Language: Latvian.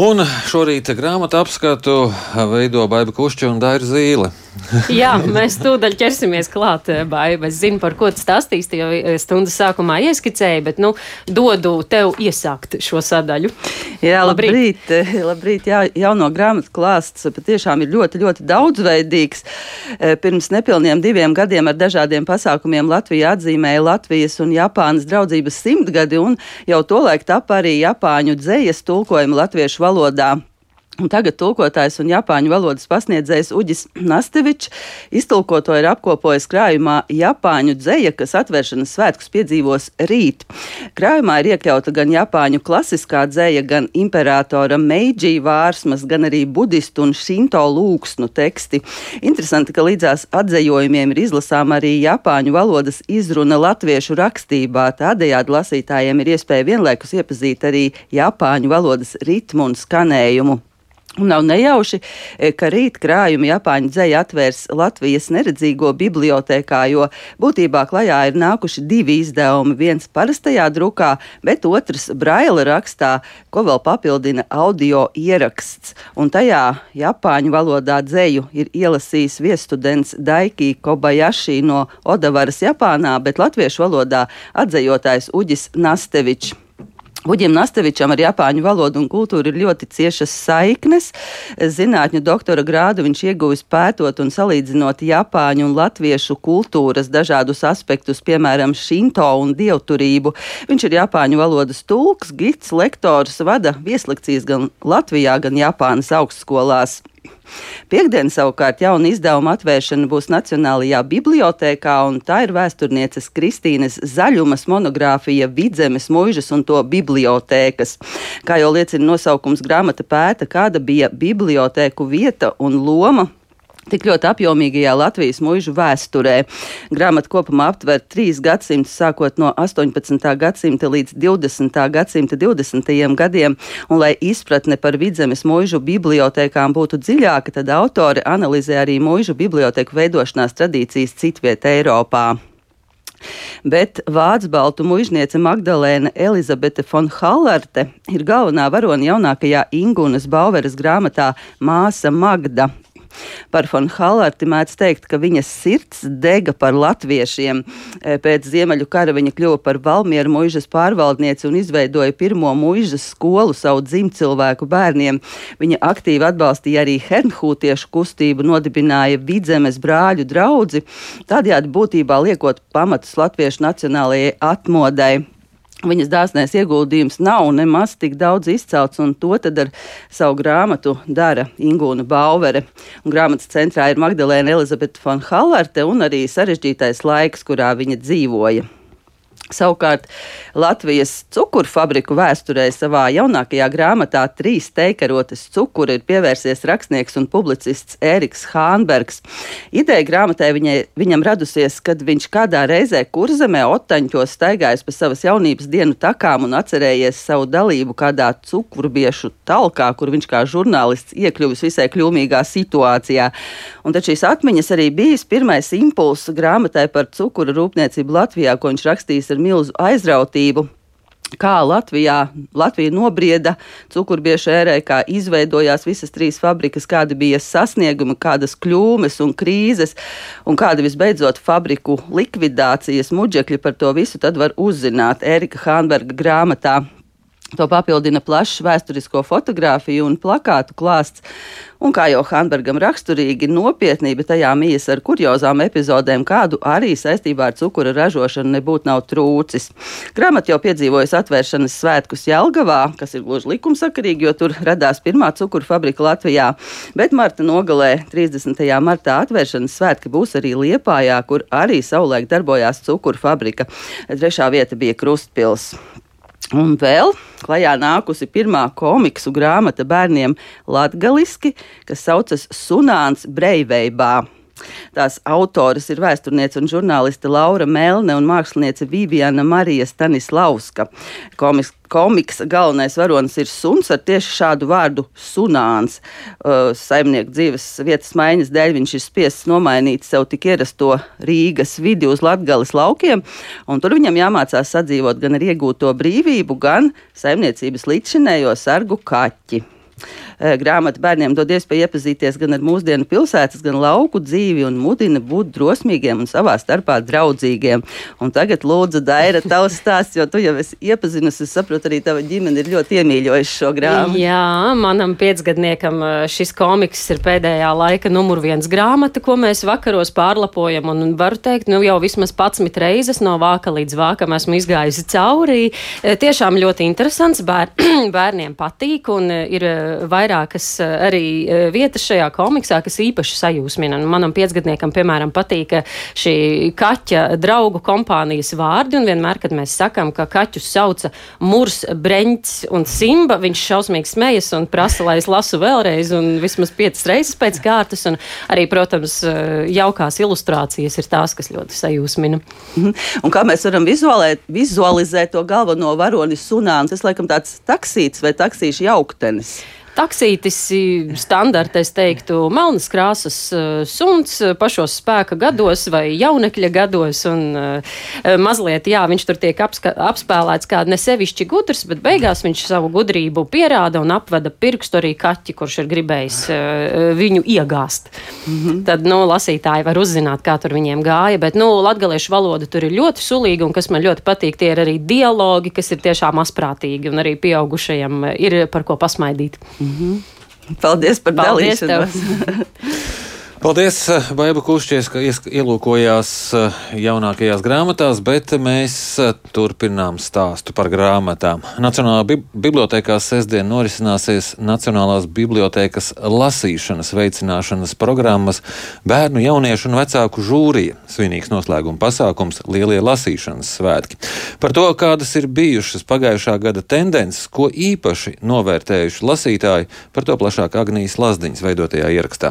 Un šorīt grāmatu apskatu veido Baiba Kušķa un Daira Zīle. Jā, mēs tūdaļ ķersimies klāt, Baiba. Es zinu, par ko tu stāstīsi, jo stundas sākumā ieskicēji, bet, dodu tev iesākt šo sadaļu. Jā, labrīt. Jā, jauno grāmatu klāsts patiešām ir ļoti, ļoti daudzveidīgs. Pirms nepilniem 2 gadiem ar dažādiem pasākumiem Latvija atzīmēja Latvijas un Japānas draudzības 100-gadi, un jau tolaik tapa arī japāņu dzejas tulkojumi latviešu valodā. Un tagad tulkotājs un japāņu valodas pasniedzējs Uģis Nastevičs iztulkoto ir apkopojis krājumā Japāņu dzeja, kas atvēršanas svētkus piedzīvos rīt. Krājumā ir iekļauta gan japāņu klasiskā dzeja, gan imperatora Meidži vārsmas, gan arī budistu un šinto lūgsnu teksti. Interesanti, ka līdzās atzejojumiem ir izlasām arī japāņu valodas izruna latviešu rakstībā. Tādējādi lasītājiem ir iespēja vienlaikus iepazīt arī japāņu valodas ritmu un skanējumu. Un nav nejauši, ka rīt krājumi Japāņu dzeja atvērs Latvijas neredzīgo bibliotēkā, jo būtībā klajā ir nākuši 2 izdevumi, viens parastajā drukā, bet otrs braila rakstā, ko vēl papildina audio ieraksts. Un tajā japāņu valodā dzeju ir ielasījis viesstudents Daiki Kobayashi no Odavaras, Japānā, bet latviešu valodā atzejotājs Uģis Nastevičs. Uģim Nastevičam ar japāņu valodu un kultūru ir ļoti ciešas saiknes. Zinātņu doktora grādu viņš ieguvis pētot un salīdzinot japāņu un latviešu kultūras dažādus aspektus, piemēram, šinto un dievturību. Viņš ir japāņu valodas tulks, gids, lektors, vada vieslekcijas gan Latvijā, gan Japānas augstskolās. Piektdien savukārt jauna izdevuma atvēršana būs Nacionālajā bibliotēkā, un tā ir vēsturnieces Kristīnes Zaļumas monogrāfija Vidzemes muižas un to bibliotēkas. Kā jau liecina nosaukums, grāmata pēta, kāda bija bibliotēku vieta un loma tik ļoti apjomīgajā Latvijas muižu vēsturē. Grāmata kopumā aptver 3 gadsimtus, sākot no 18. gadsimta līdz 20. gadsimta 20. gadiem, un lai izpratne par Vidzemes muižu bibliotēkām būtu dziļāka, tad autori analizē arī muižu bibliotēku veidošanās tradīcijas citviet Eiropā. Bet vācu-baltu muižniece Magdalēna Elizabete von Hallarte ir galvenā varone jaunākajā Ingunas Bauveres grāmatā Māsa Magda. Par von Hallarti mēdz teikt, ka viņas sirds dega par latviešiem. Pēc Ziemeļu kara viņa kļuva par Valmieru muižas pārvaldnieci un izveidoja pirmo muižas skolu savu dzimtcilvēku bērniem. Viņa aktīvi atbalstīja arī hernhūtiešu kustību, nodibināja Vidzemes brāļu draudzi, tādējādi būtībā liekot pamatus latviešu nacionālajai atmodai. Viņas dāsnais ieguldījums nav nemaz tik daudz izcelts, un to tad ar savu grāmatu dara Ingūna Bauvere. Un grāmatas centrā ir Magdalēna Elizabete von Hallarte un arī sarežģītais laiks, kurā viņa dzīvoja. Savukārt Latvijas cukurfabriku vēsturē savā jaunākajā grāmatā 3 teikarotes cukuri ir pievērsies rakstnieks un publicists Ēriks Hānbergs. Ideja grāmatai viņam radusies, kad viņš kādā reizē Kurzemē Otaņķos staigājis pa savas jaunības dienu takām un atcerējies savu dalību kādā cukurbiešu talkā, kur viņš kā žurnālists iekļuvis visai kļūmīgā situācijā. Un tad šīs atmiņas arī bijis pirmais impulss grāmatai par cukuru rūpniecību Latvijā, ko viņš rakstījis ar milzu aizrautību. Kā Latvija nobrieda cukurbiešu ērē, kā izveidojās visas 3 fabrikas, kādi bija sasniegumi, kādas kļūmes un krīzes, un kāda visbeidzot fabriku likvidācijas muģekļi. Par to visu tad var uzzināt Ērika Hānberga grāmatā. To papildina plašs vēsturisko fotogrāfiju un plakātu klāsts, un kā jau Hānbergam raksturīgi, nopietnība tajā mijas ar kuriozām epizodēm, kādu arī saistībā ar cukura ražošanu nebūtu nav trūcis. Grāmata jau piedzīvojas atvēršanas svētkus Jelgavā, kas ir gluži likumsakarīgi, jo tur radās pirmā cukura fabrika Latvijā, bet marta nogalē 30. martā atvēršanas svētki būs arī Liepājā, kur arī savulaik darbojās cukura fabrika. 3. vieta bija Krustpils. Un vēl klajā nākusi pirmā komiksu grāmata bērniem latgaliski, kas saucas Sunāns Breiveibā. Tās autoras ir vēsturniece un žurnāliste Laura Melne un māksliniece Viviana Marija Stanislavska. Komiksa galvenais varonis ir suns ar tieši šādu vārdu sunāns. Saimnieku dzīves vietas maiņas dēļ viņš ir spiests nomainīt sev tik ierasto Rīgas vidi uz Latgales laukiem, un tur viņam jāmācās sadzīvot gan ar iegūto brīvību, gan saimniecības līdzšinējo sargu kaķi. Grāmata bērniem dod iespēju iepazīties gan ar mūsdienu pilsētas, gan lauku dzīvi un mudina būt drosmīgiem un savā starpā draudzīgiem. Un tagad lūdzu, Daira, tavs stāsts, jo tu jau esi iepazinusi, es saprotu, arī tava ģimene ir ļoti iemīļojuši šo grāmatu. Jā, manam 5-gadniekam šis komiks ir pēdējā laika numur 1 grāmata, ko mēs vakaros pārlapojam, un varu teikt, jau vismaz 11 reizes no vāka līdz vākam esmu izgājusi caurī. Tiešām ļoti interesants, bērniem patīk, un ir vairākas arī vietas šajā komiksā, kas īpaši sajūsmina. Manam 5-gadniekam, piemēram, patīk šī kaķa draugu kompānijas vārdi, un vienmēr, kad mēs sakam, ka kaķus sauca Murs, Breņķis un Simba, viņš šausmīgi smejas un prasa, lai es lasu vēlreiz, un vismaz 5 reizes pēc kārtas, un arī, protams, jaukās ilustrācijas ir tās, kas ļoti sajūsmina. Un kā mēs varam vizualizēt to galveno varoni Sunāns? Tas laikam tāds taksīts vai taksīšu jauktenis. Taksītis standarta, es teiktu, melnas krāsas suns pašos spēka gados vai jaunekļa gados, un mazliet, viņš tur tiek apspēlēts kā ne sevišķi gudrs, bet beigās viņš savu gudrību pierāda un apveda pirkstu arī kaķi, kurš ir gribējis viņu iegāst. Tad, lasītāji var uzzināt, kā tur viņiem gāja, bet, latgaliešu valoda tur ir ļoti sulīga, un kas man ļoti patīk, tie ir arī dialogi, kas ir tiešām asprātīgi, un arī pieaugušajiem ir par ko pasmaidīt. Paldies par dalīšanos. Paldies, Baiba Kušķies, ka ielūkojās jaunākajās grāmatās, bet mēs turpinām stāstu par grāmatām. Nacionālā bibliotēkā sestdien norisināsies Nacionālās bibliotēkas lasīšanas veicināšanas programmas bērnu, jauniešu un vecāku žūrija. Svinīgs noslēguma pasākums Lielie lasīšanas svētki. Par to, kādas ir bijušas pagājušā gada tendences, ko īpaši novērtējuši lasītāji, par to plašāk Agnijas Lazdiņas veidotajā ierakstā.